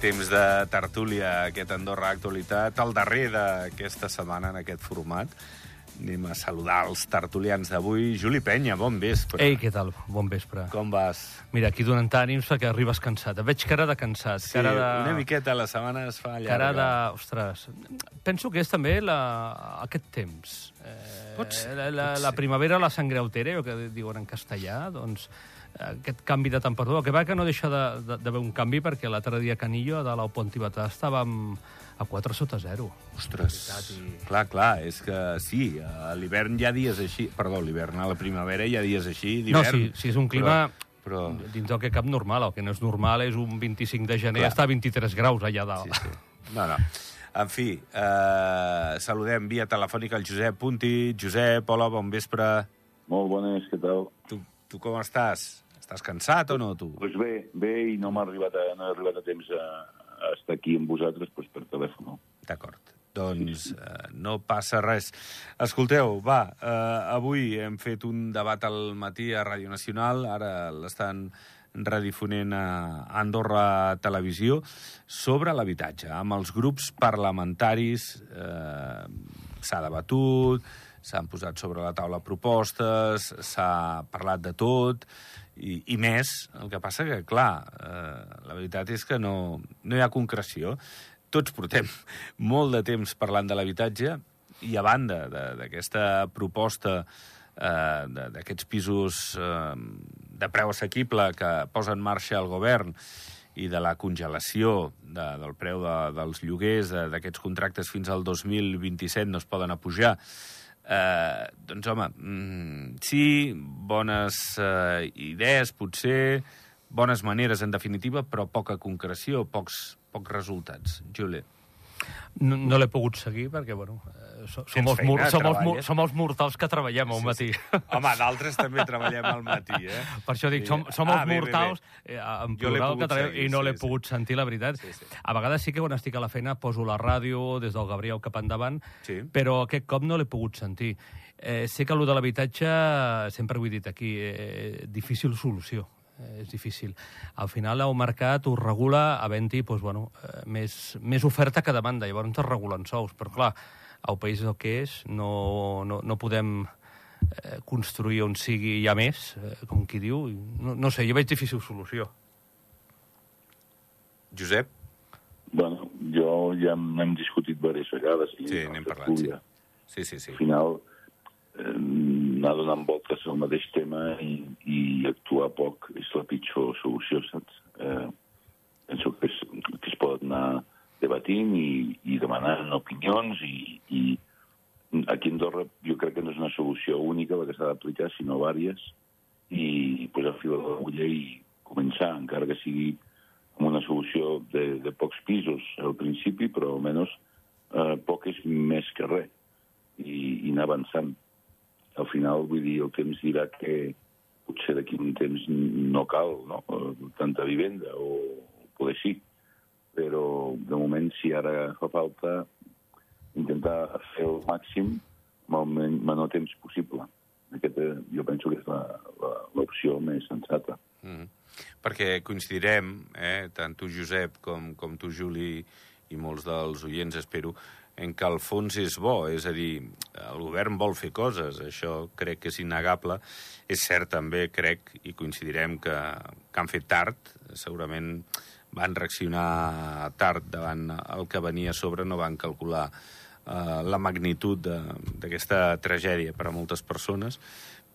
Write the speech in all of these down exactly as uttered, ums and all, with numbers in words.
Temps de tertúlia, aquest Andorra Actualitat, el darrer d'aquesta setmana en aquest format. Anem a saludar els tertulians d'avui. Juli Penya, bon vespre. Ei, què tal? Bon vespre. Com vas? Mira, aquí donant ànims perquè arribes cansat. Et veig cara de cansat. Sí, cara de... una miqueta, la setmana es fa llarga. Cara de... Ostres, penso que és també la... aquest temps. Eh, pot ser, la, la, pot la ser. primavera, la sangre altera, que diuen en castellà, doncs aquest canvi de temperatura, que va que no deixa d'haver de, de un canvi, perquè l'altre dia a Canillo, a dalt al Pont Tibetà, estàvem a quatre sota zero. Ostres, i... clar, clar, és que sí, a l'hivern hi ha dies així, perdó, l'hivern, a la primavera hi ha dies així, d'hivern. No, sí, sí, és un clima però, però... dins del que cap normal, el que no és normal és un vint-i-cinc de gener, clar. Està a vint-i-tres graus allà dalt. Sí, sí. No, no. En fi, eh, saludem via telefònica el Josep Punti. Josep, hola, bon vespre. Molt bones, què tal? Tu, tu com estàs? Estàs cansat o no, tu? Doncs pues bé, bé, i no m'ha arribat, a, no he arribat a temps a, a estar aquí amb vosaltres pues, per telèfon. D'acord. Doncs eh, no passa res. Escolteu, va, eh, avui hem fet un debat al matí a Ràdio Nacional, ara l'estan redifonent a Andorra Televisió, sobre l'habitatge. Amb els grups parlamentaris eh, s'ha debatut, s'han posat sobre la taula propostes, s'ha parlat de tot, i, i més. El que passa que, clar, eh, la veritat és que no, no hi ha concreció. Tots portem molt de temps parlant de l'habitatge i a banda d'aquesta proposta eh, d'aquests pisos eh, de preu assequible que posa en marxa el govern i de la congelació de, del preu de, dels lloguers d'aquests contractes fins al dos mil vint-i-set no es poden apujar. Eh, doncs, home, mm, sí, bones eh, idees, potser, bones maneres, en definitiva, però poca concreció, pocs, pocs resultats. Juli. No, no l'he pogut seguir perquè, bueno, eh, som, els, feina, mur, som, els, mur, treballes. som els mortals que treballem al Sí, matí. sí. Home, d'altres també treballem al matí, eh? Per això dic, som, som Ah, els bé, bé, mortals bé. eh, en Jo l'he plural pogut que treballem seguir, i no sí, l'he sí. pogut sentir, la veritat. Sí, sí. A vegades sí que quan estic a la feina poso la ràdio des del Gabriel cap endavant, Sí. però aquest cop no l'he pogut sentir. Eh, sé que allò de l'habitatge, sempre ho he dit aquí, eh, difícil solució. Eh, és difícil. Al final el mercat ho regula havent-hi doncs, bueno, eh, més, més oferta que demanda, llavors es regulen sous, però clar, el país és el que és, no, no, no podem eh, construir on sigui ja més, eh, com qui diu, no, no sé, jo veig difícil solució. Josep? Bueno, jo ja hem discutit diverses vegades. Sí, n'hem parlat, sí. Sí, sí, sí. Al final, eh, anar donant voltes al mateix tema i, i actuar poc és la pitjor solució, saps? Eh, penso que es, que es pot anar debatint i, i demanant opinions i, i aquí a Andorra jo crec que no és una solució única la que s'ha d'aplicar, sinó vàries, i posar fil a l'agulla i començar, encara que sigui amb una solució de, de pocs pisos al principi, però almenys eh, poc és més que res, i, i anar avançant. Al final, vull dir, el temps dirà que potser d'aquí un temps no cal, no?, tanta vivenda, o poder sí. Però, de moment, si ara fa falta, intentar fer el màxim amb el menor temps possible. Aquesta, jo penso que és l'opció més sensata. Mm. Perquè coincidirem, eh, tant tu, Josep, com, com tu, Juli, i molts dels oients, espero, en que el fons és bo, és a dir, el govern vol fer coses, això crec que és innegable. És cert també, crec, i coincidirem que, que han fet tard, segurament van reaccionar tard davant el que venia a sobre, no van calcular eh, la magnitud d'aquesta tragèdia per a moltes persones,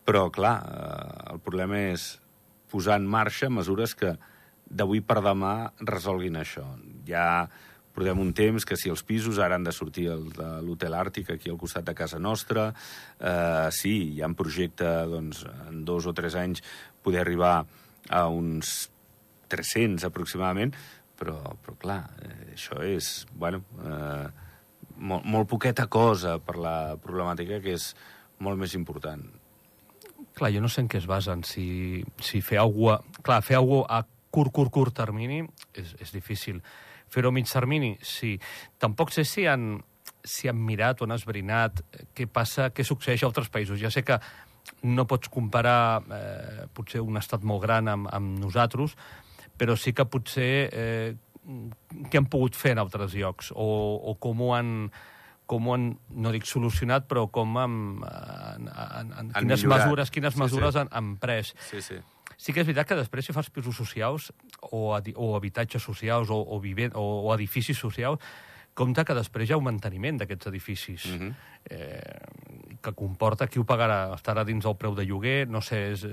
però, clar, eh, el problema és posar en marxa mesures que d'avui per demà resolguin això. Ja portem un temps que si els pisos ara han de sortir el de l'Hotel Àrtic aquí al costat de casa nostra, eh, sí, hi ha un projecte, doncs, en dos o tres anys poder arribar a uns tres-cents aproximadament, però, però clar, eh, això és, bueno, eh, molt, molt poqueta cosa per la problemàtica que és molt més important. Clar, jo no sé en què es basen. Si, si fer alguna cosa... Clar, fer alguna cosa a curt, curt, curt termini és, és difícil. Fer-ho a mig termini, sí. Tampoc sé si han, si han mirat o han esbrinat què passa, què succeeix a altres països. Ja sé que no pots comparar eh, potser un estat molt gran amb, amb nosaltres, però sí que potser eh, què han pogut fer en altres llocs, o, o com ho han... com ho han, no dic solucionat, però com han, han, han, han quines millorat. mesures, quines Sí, mesures sí. Han, han pres. Sí, sí. Sí que és veritat que després si fas pisos socials o, o habitatges socials o, o, vivent, o, o edificis socials, compte que després hi ha un manteniment d'aquests edificis, Mhm. eh, que comporta qui ho pagarà, estarà dins del preu de lloguer, no sé, és,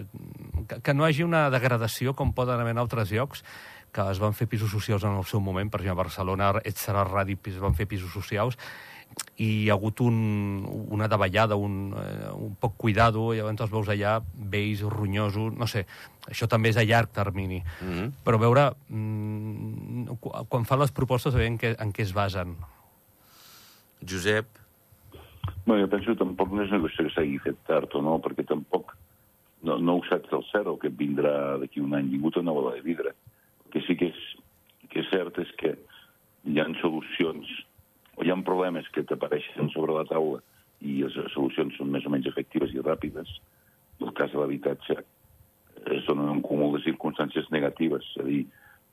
que, que no hi hagi una degradació com poden haver en altres llocs, que es van fer pisos socials en el seu moment, per exemple, a Barcelona, Etzara Radi es van fer pisos socials, i hi ha hagut un, una davallada, un, eh, un poc cuidado, i llavors els veus allà vells, ronyosos, no sé, això també és a llarg termini. Mhm. Però veure, mm, quan fan les propostes, a veure en què, en què es basen. Josep? Bé, jo penso que tampoc no és una qüestió que s'hagi fet tard o no, perquè tampoc no, no ho saps del cert el que et vindrà d'aquí un any. Ningú té una bola de vidre. El que sí que és, que és cert és que hi ha solucions o hi ha problemes que t'apareixen sobre la taula i les solucions són més o menys efectives i ràpides. En el cas de l'habitatge es donen un cúmul de circumstàncies negatives, és a dir,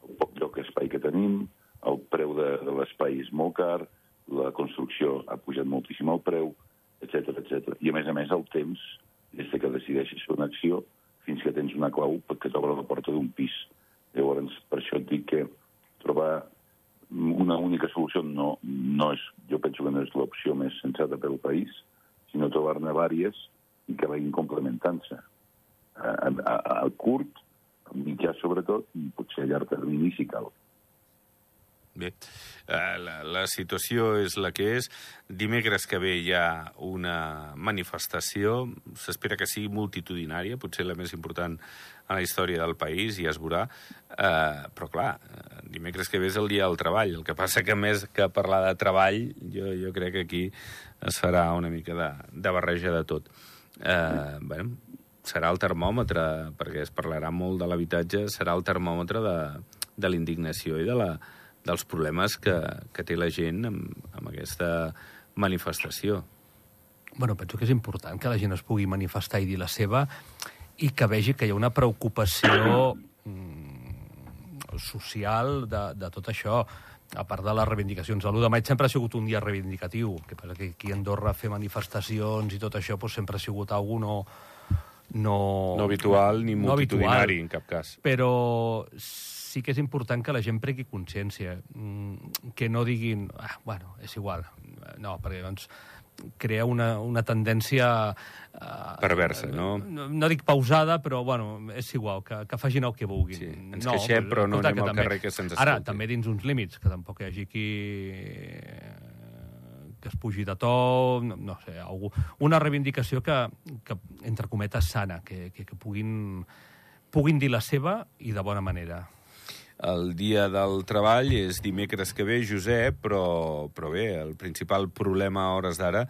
el poc lloc espai que tenim, el preu de, de l'espai és molt car, la construcció ha pujat moltíssim el preu, etcètera, etcètera. I, a més a més, el temps, des que decideixes fer una acció, fins que tens una clau perquè t'obre la porta d'un pis. Llavors, per això et dic que trobar una única solució no, no és, jo penso que no és l'opció més sensata pel país, sinó trobar-ne vàries i que vagin complementant-se. A, a, a curt, a mitjà sobretot, i potser a llarg termini si cal. Bé, la, la situació és la que és. Dimecres que ve hi ha una manifestació, s'espera que sigui multitudinària, potser la més important en la història del país, ja es veurà, eh, però clar, dimecres que ve és el dia del treball, el que passa que més que parlar de treball, jo, jo crec que aquí es farà una mica de, de barreja de tot. Eh, bueno, serà el termòmetre, perquè es parlarà molt de l'habitatge, serà el termòmetre de, de la indignació i de la dels problemes que, que té la gent amb, amb aquesta manifestació. Bueno, penso que és important que la gent es pugui manifestar i dir la seva i que vegi que hi ha una preocupació mm, social de, de tot això, a part de les reivindicacions. L'u de maig sempre ha sigut un dia reivindicatiu, que passa que aquí a Andorra fer manifestacions i tot això doncs, sempre ha sigut algú no... No, no habitual ni no multitudinari, habitual, en cap cas. Però sí que és important que la gent prengui consciència, que no diguin, ah, bueno, és igual. No, perquè doncs crea una, una tendència... Uh, perversa, no? no? No dic pausada, però, bueno, és igual, que, que facin el que vulguin. Sí, ens no, queixem, però no escolta, anem al també, carrer que se'ns escolti. Ara, també dins uns límits, que tampoc hi hagi qui... que es pugi de to, no, no sé, algú, una reivindicació que, que entre cometes, sana, que, que, que puguin, puguin dir la seva i de bona manera. El dia del treball és dimecres que ve, Josep, però, però bé, el principal problema a hores d'ara,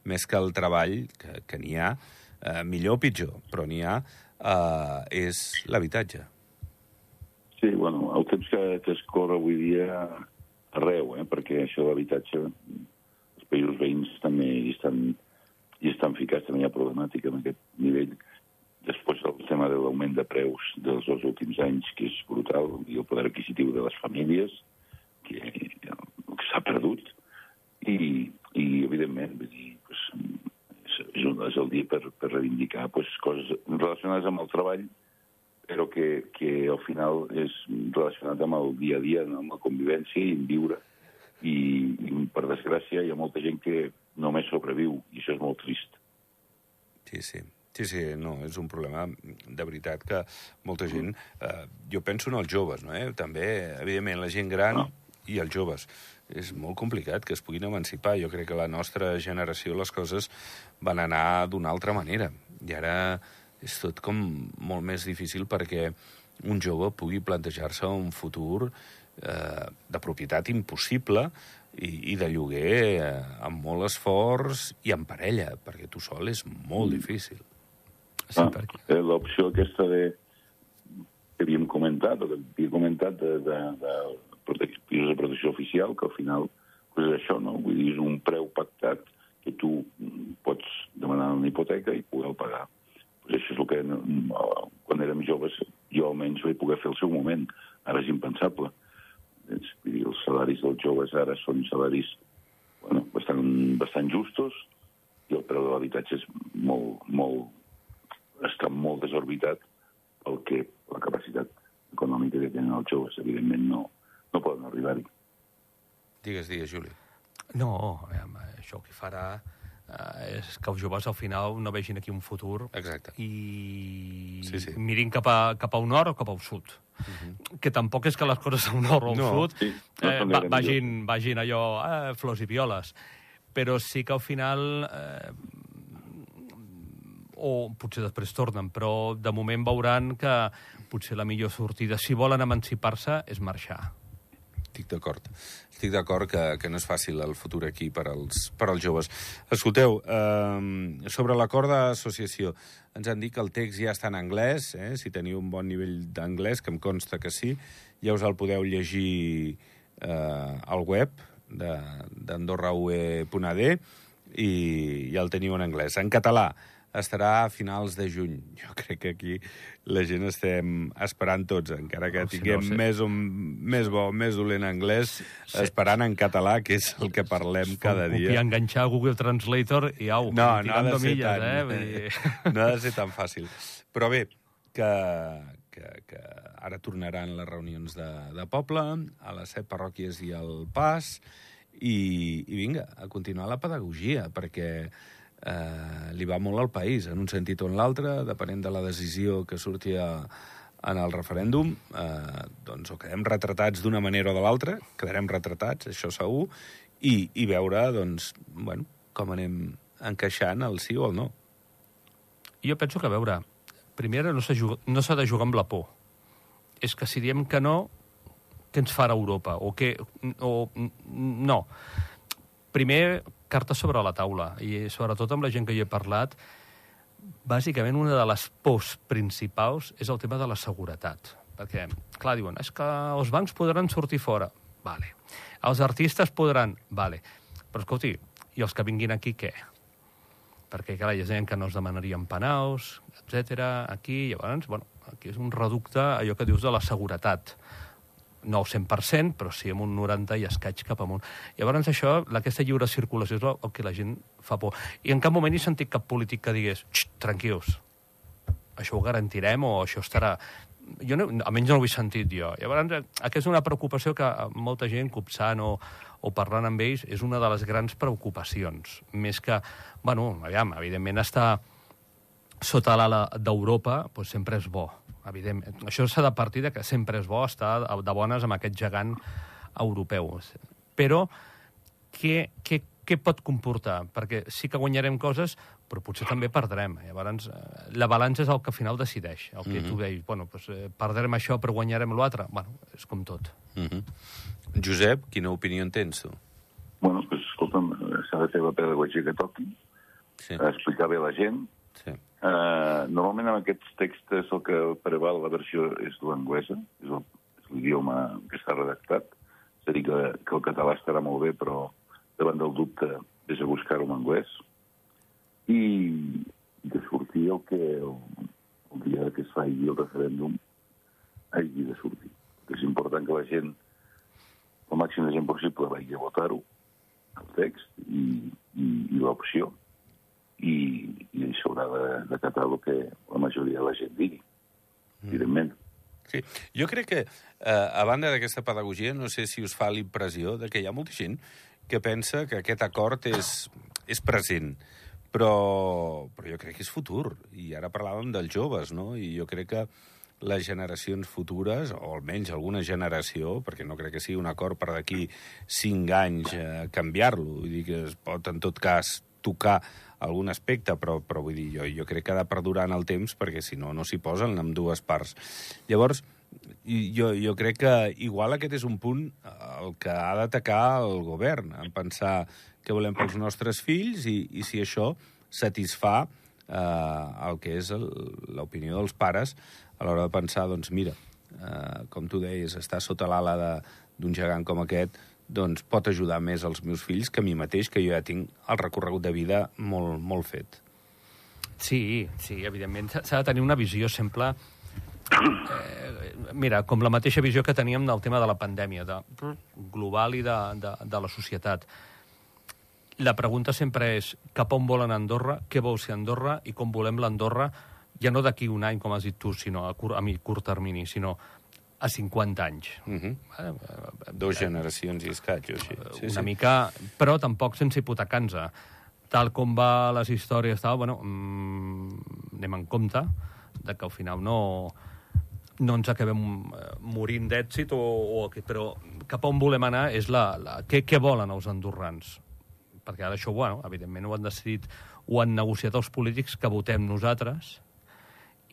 més que el treball, que, que n'hi ha, eh, millor o pitjor, però n'hi ha, eh, és l'habitatge. Sí, bueno, el temps que, que es corre avui dia arreu, eh, perquè això de l'habitatge... països veïns també hi estan, hi estan ficats, també hi ha problemàtica en aquest nivell. Després el tema de l'augment de preus dels dos últims anys, que és brutal, i el poder adquisitiu de les famílies, que, que s'ha perdut, i, i evidentment, vull dir, pues, és, és, un, és el dia per, per reivindicar pues, coses relacionades amb el treball, però que, que al final és relacionat amb el dia a dia, amb la convivència i en viure. I, i per desgràcia hi ha molta gent que només sobreviu i això és molt trist. Sí, sí. Sí, sí, no, és un problema de veritat que molta gent... Eh, jo penso en els joves, no? Eh? També, evidentment, la gent gran no. i els joves. És molt complicat que es puguin emancipar. Jo crec que la nostra generació les coses van anar d'una altra manera. I ara és tot com molt més difícil perquè un jove pugui plantejar-se un futur Eh, de propietat impossible i, i de lloguer eh, amb molt esforç i en parella, perquè tu sol és molt mm. difícil. Sí, ah, perquè... eh, l'opció aquesta de que havíem comentat, o que havia comentat de, de, de, de pisos de protecció oficial, que al final pues és això, no? Vull dir, és un preu pactat que tu pots demanar una hipoteca i poder pagar. Pues això és el que quan érem joves jo almenys vaig poder fer al seu moment. Ara és impensable. Els salaris dels joves ara són salaris bueno, bastant, bastant justos i el preu de l'habitatge és molt, molt, està molt desorbitat pel que la capacitat econòmica que tenen els joves. Evidentment no, no poden arribar-hi. Digues, digues, Juli. No, això que farà eh, és que els joves al final no vegin aquí un futur. Exacte. I sí, sí. mirin cap a, cap a un nord o cap al sud. Uh-huh. Que tampoc és que les coses a un nord o al no. sud sí, no eh, va, vagin, vagin allò eh, flors i violes. Però sí que al final... Eh, o potser després tornen, però de moment veuran que potser la millor sortida, si volen emancipar-se, és marxar. Estic d'acord. Estic d'acord que, que no és fàcil el futur aquí per als, per als joves. Escolteu, eh, sobre l'acord d'associació, ens han dit que el text ja està en anglès, eh? Si teniu un bon nivell d'anglès, que em consta que sí, ja us el podeu llegir eh, al web d'andorra u e punt a de i ja el teniu en anglès. En català estarà a finals de juny. Jo crec que aquí la gent estem esperant tots, encara que no, si tinguem no sé. més, un, més bo, més dolent anglès, sí. esperant en català, que és el que parlem es cada dia. Copiar, enganxar a Google Translator i au, no, no ha de ser milles, tan, eh? Vull dir... no ha de ser tan fàcil. Però bé, que, que, que ara tornaran les reunions de, de poble, a les set parròquies i al Pas, i, i vinga, a continuar la pedagogia, perquè Eh, li va molt al país, en un sentit o en l'altre, depenent de la decisió que sortia en el referèndum, eh, doncs o quedem retratats d'una manera o de l'altra, quedarem retratats, això segur, i, i veure, doncs, bueno, com anem encaixant el sí o el no. Jo penso que, a veure, primer no s'ha no s'ha de jugar amb la por. És que si diem que no, què ens farà Europa? O què... O, no. Primer, cartes sobre la taula, i sobretot amb la gent que hi he parlat, bàsicament una de les pors principals és el tema de la seguretat. Perquè, clar, diuen, és que els bancs podran sortir fora. Vale. Els artistes podran. Vale. Però, escolti, i els que vinguin aquí, què? Perquè, clar, hi ha gent que no es demanarien penals, etcètera. Aquí, llavors, bueno, aquí és un reducte, allò que dius de la seguretat. No al cent per cent, però sí amb un noranta i escaig cap amunt. Llavors això, aquesta lliure circulació és el que la gent fa por. I en cap moment he sentit cap polític que digués tranquils, això ho garantirem o això estarà... Jo no, almenys no ho he sentit jo. Llavors, aquesta és una preocupació que molta gent, copsant o, o parlant amb ells, és una de les grans preocupacions. Més que, bueno, aviam, evidentment estar sota l'ala d'Europa doncs sempre és bo. Evidentment. Això s'ha de partir de que sempre és bo estar de bones amb aquest gegant europeu. Però què, què, què pot comportar? Perquè sí que guanyarem coses, però potser també perdrem. Llavors, la balança és el que al final decideix. El que mm-hmm. tu deies, bueno, doncs, perdrem això però guanyarem l'altre. Bueno, és com tot. Mm-hmm. Josep, quina opinió en tens, tu? Bueno, doncs, escolta'm, s'ha de fer la pedagogia que toqui, sí. explicar bé a la gent. Sí. Uh, normalment en aquests textos el que preval la versió és l'anglesa, és el, és l'idioma que està redactat. És a dir, que, que el català estarà molt bé, però davant del dubte és a buscar-ho en anglès. I de sortir el que el, el dia que es faci el referèndum hagi de sortir. És important que la gent, el màxim de gent possible, vagi a votar-ho, el text i, i, i l'opció. I, i s'haurà d'acatar el que la majoria de la gent digui, evidentment. Sí. Jo crec que, eh, a banda d'aquesta pedagogia, no sé si us fa l'impressió de que hi ha molta gent que pensa que aquest acord és, és present, però, però jo crec que és futur. I ara parlàvem dels joves, no? I jo crec que les generacions futures, o almenys alguna generació, perquè no crec que sigui un acord per d'aquí cinc anys eh, canviar-lo, vull dir que es pot, en tot cas, tocar algun aspecte, però, però vull dir, jo, jo crec que ha de perdurar en el temps, perquè si no, no s'hi posen amb dues parts. Llavors, jo, jo crec que igual aquest és un punt el que ha d'atacar el govern, en pensar què volem pels nostres fills i, i si això satisfà eh, el que és l'opinió dels pares a l'hora de pensar, doncs mira, eh, com tu deies, estar sota l'ala d'un gegant com aquest, doncs pot ajudar més als meus fills que a mi mateix, que jo ja tinc el recorregut de vida molt, molt fet. Sí, sí, evidentment. S'ha de tenir una visió sempre eh, mira, com la mateixa visió que teníem del tema de la pandèmia, de, global i de, de, de la societat. La pregunta sempre és cap on volen Andorra, què vol ser Andorra i com volem l'Andorra, ja no d'aquí un any, com has dit tu, sinó a curt, a mi, curt termini, sinó a cinquanta anys. Uh -huh. eh, Dos generacions i escaig, o així. Sí, una sí. mica, però tampoc sense hipotecar-nos. Tal com va les històries, tal, bueno, mmm, anem en compte de que al final no, no ens acabem morint d'èxit, o, o, però cap on volem anar és la, la, què, què volen els andorrans. Perquè ara això, bueno, evidentment ho han decidit, ho han negociat els polítics que votem nosaltres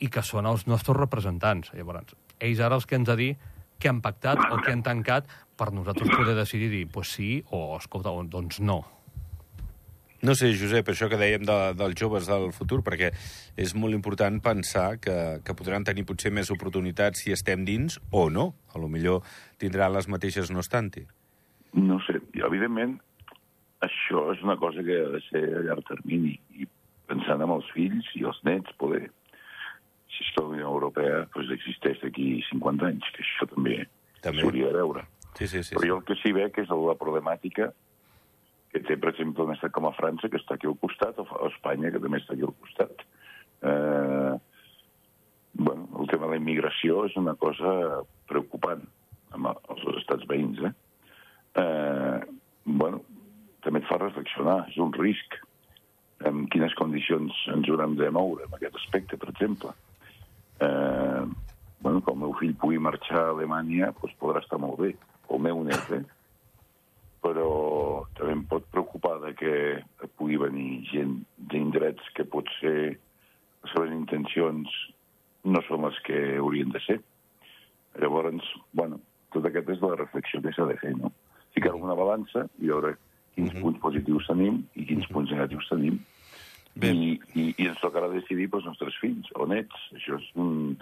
i que són els nostres representants. Llavors, ells ara els que ens ha de dir què han pactat o què han tancat per nosaltres poder decidir dir, pues sí, o escolta, doncs no. No sé, Josep, això que dèiem de, dels joves del futur, perquè és molt important pensar que, que podran tenir potser més oportunitats si estem dins o no. A lo millor tindran les mateixes no estant-hi. No sé, evidentment, això és una cosa que ha de ser a llarg termini, i pensant en els fills i els nets, poder... Si és que la Unió Europea pues, existeix d'aquí cinquanta anys, que això també, també. s'hauria de veure. Sí, sí, sí, Però sí. jo el que sí veig és la problemàtica que té, per exemple, un estat com a França, que està aquí al costat, o Espanya, que també està aquí al costat. Eh, bueno, el tema de la immigració és una cosa preocupant amb els estats veïns. Eh? Eh, bueno, també et fa reflexionar, és un risc. En quines condicions ens haurem de moure en aquest aspecte, per exemple. Eh, bueno, que el meu fill pugui marxar a Alemanya, doncs podrà estar molt bé, o el meu net, eh? Però també em pot preocupar de que pugui venir gent d'indrets que potser les seves intencions no són les que haurien de ser. Llavors, bueno, tot aquest és la reflexió que s'ha de fer, no? Ficar una balança i veure quins uh-huh. punts positius tenim i quins uh-huh. punts negatius tenim. I, i, i ens tocarà decidir pels nostres fills o nets. Això és un...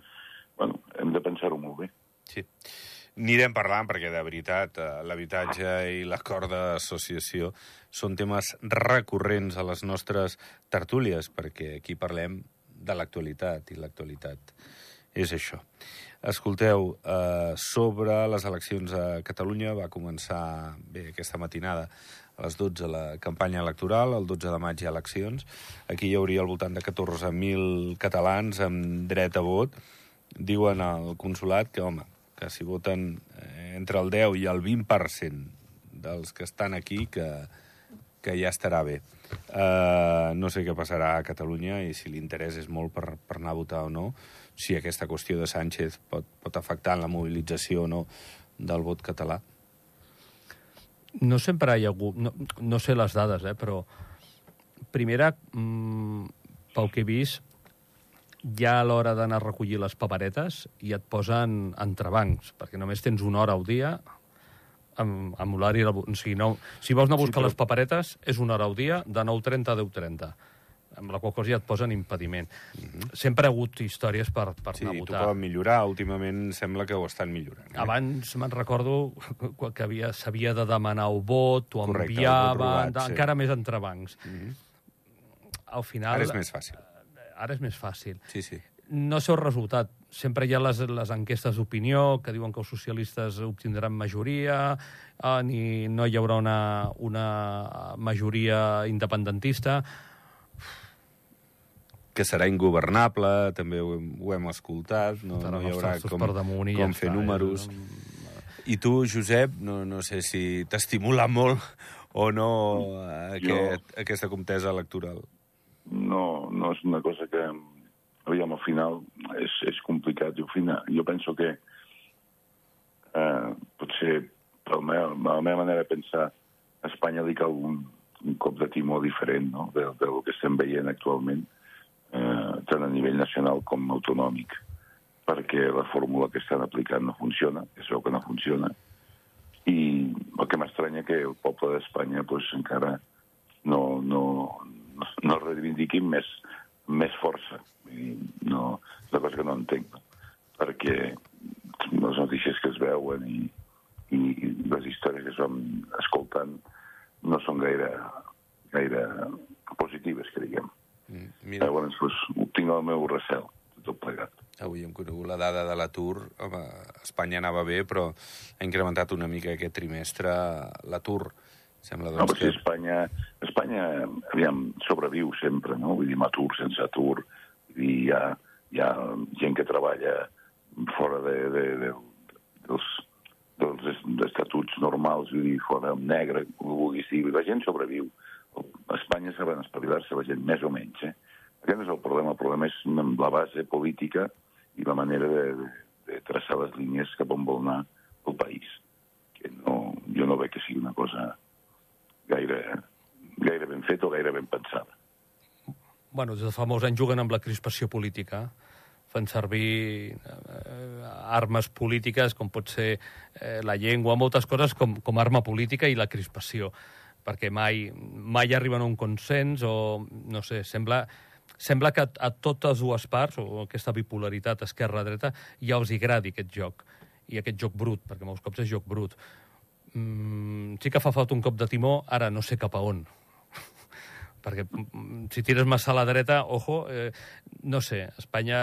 Bueno, hem de pensar-ho molt bé. Sí. Anirem parlant perquè, de veritat, l'habitatge i l'acord d'associació són temes recurrents a les nostres tertúlies, perquè aquí parlem de l'actualitat, i l'actualitat és això. Escolteu, eh, sobre les eleccions a Catalunya va començar bé aquesta matinada a les dotze la campanya electoral, el dotze de maig hi ha eleccions. Aquí hi hauria al voltant de catorze mil catalans amb dret a vot. Diuen al consulat que, home, que si voten entre el deu i el vint per cent dels que estan aquí, que, que ja estarà bé. Uh, no sé què passarà a Catalunya i si l'interès és molt per, per anar a votar o no, si aquesta qüestió de Sánchez pot, pot afectar en la mobilització o no del vot català. No sempre hi ha hagut... No, no sé les dades, eh, però... Primera, mmm, pel que he vist, ja a l'hora d'anar a recollir les paperetes i et posen entrebancs, perquè només tens una hora al dia amb, amb l'horari... O sigui, no, si vols anar a buscar sí, però... les paperetes, és una hora al dia, de nou trenta a deu trenta. Amb la qual cosa ja et posen impediment. Mm-hmm. Sempre ha hagut històries per, per sí, anar a votar. Sí, tu poden millorar. Últimament sembla que ho estan millorant. Eh? Abans me'n recordo que s'havia de demanar el vot, ho Correcte, enviaven, robat, sí. encara més entrebancs. Mm-hmm. Al final... Ara és més fàcil. Ara és més fàcil. Sí, sí. No sé el resultat. Sempre hi ha les, les enquestes d'opinió que diuen que els socialistes obtindran majoria, eh, ni no hi haurà una, una majoria independentista. Que serà ingovernable, també ho hem, ho hem escoltat, no, no hi haurà com, com ja fer està, números. Eh? I tu, Josep, no, no sé si t'estimula molt o no aquest, jo... aquesta contesa electoral. No, no és una cosa que, aviam, al final és, és complicat. Jo, final, jo penso que eh, potser per la meva, la meva manera de pensar a Espanya li cal un, un cop de timó diferent, no?, del, del que estem veient actualment, eh, tant a nivell nacional com autonòmic, perquè la fórmula que estan aplicant no funciona, és veu que no funciona, i el que m'estranya que el poble d'Espanya pues, encara no, no, no reivindiquin més, més força. I no, és una cosa que no entenc, no? Perquè les notícies que es veuen i, i les històries que es van escoltant no són gaire, gaire positives, que diguem. Mm, mira. Llavors, pues, tinc el meu recel, tot plegat. Avui hem conegut la dada de l'atur. Home, Espanya anava bé, però ha incrementat una mica aquest trimestre l'atur. Sembla, doncs, no, però que... si Espanya, Espanya aviam, sobreviu sempre, no? Vull dir, amb atur, sense atur. Vull dir, hi ha, hi ha gent que treballa fora de, de, de, dels, dels estatuts normals, vull dir, fora en negre, com ho vulguis dir. La gent sobreviu. A Espanya saben espavilar-se la gent, més o menys, eh? Aquest és el problema. El problema és la base política i la manera de, de, de traçar les línies cap on vol anar el país. Que no, jo no veig que sigui una cosa gaire, gaire ben feta o gaire ben pensada. Bueno, des de fa molts anys juguen amb la crispació política. Fan servir eh, armes polítiques, com pot ser eh, la llengua, moltes coses com, com arma política i la crispació, perquè mai, mai arriben a un consens o, no sé, sembla... Sembla que a totes dues parts, o aquesta bipolaritat esquerra-dreta, ja els agradi aquest joc. I aquest joc brut, perquè molts cops és joc brut. Mm, sí que fa falta un cop de timó, ara no sé cap a on. Perquè si tires massa a la dreta, ojo, eh, no sé, Espanya,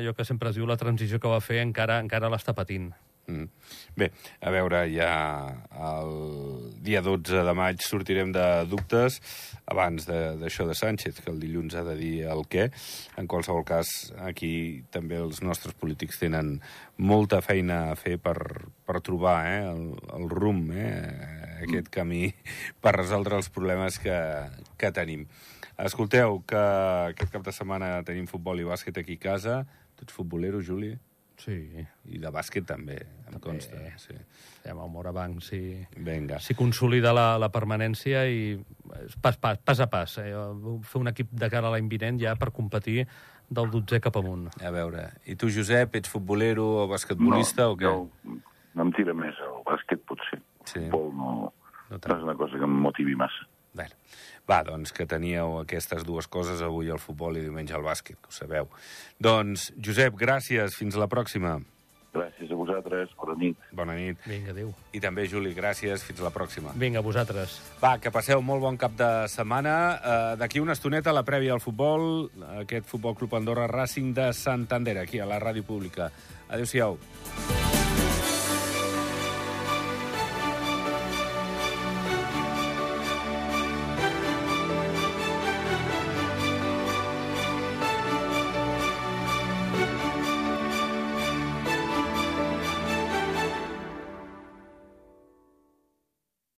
allò que sempre es diu, la transició que va fer encara encara l'està patint. Mm. Bé, a veure, ja el dia dotze de maig sortirem de dubtes abans d'això de, de Sánchez, que el dilluns ha de dir el què. En qualsevol cas, aquí també els nostres polítics tenen molta feina a fer per, per trobar eh, el, el rumb, eh, aquest camí per resoldre els problemes que, que tenim. Escolteu, que aquest cap de setmana tenim futbol i bàsquet aquí a casa. Tu ets futbolero, Juli? Sí. I de bàsquet també, em també, consta. Sí. Ja, amb el Morabanc, sí. Vinga. Si consolida la, la permanència i pas, pas, pas a pas. Eh? Fer un equip de cara a l'any vinent ja per competir del dotzè cap amunt. A veure, i tu, Josep, ets futbolero o basquetbolista no, o què? No, no em tira més el bàsquet, potser. Sí. El futbol no, no, no és una cosa que em motivi massa. Bé. Va, doncs que teníeu aquestes dues coses, avui el futbol i diumenge el bàsquet, que ho sabeu. Doncs, Josep, gràcies. Fins la pròxima. Gràcies a vosaltres. Bona nit. Bona nit. Vinga, adéu. I també, Juli, gràcies. Fins la pròxima. Vinga, a vosaltres. Va, que passeu molt bon cap de setmana. Uh, D'aquí una estoneta, la prèvia al futbol, aquest Futbol Club Andorra Racing de Santander, aquí a la Ràdio Pública. Adéu-siau.